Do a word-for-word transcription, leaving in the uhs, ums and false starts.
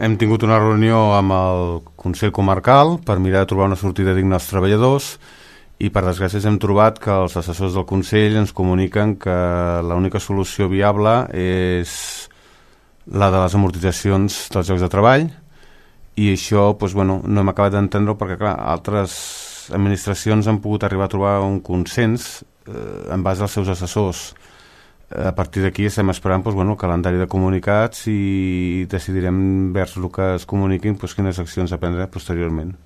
hem tingut una reunió amb el Consell Comarcal per mirar de trobar una sortida digna als treballadors i per desgràcia hem trobat que els assessors del Consell ens comuniquen que l'única solució viable és la de les amortitzacions dels llocs de treball, i això doncs, bueno, no hem acabat d'entendre perquè clar, altres administracions han pogut arribar a trobar un consens eh, en base als seus assessors. A partir d'aquí estem esperant doncs, bueno, el calendari de comunicats i decidirem vers el que es comuniquin doncs, quines accions a prendre posteriorment.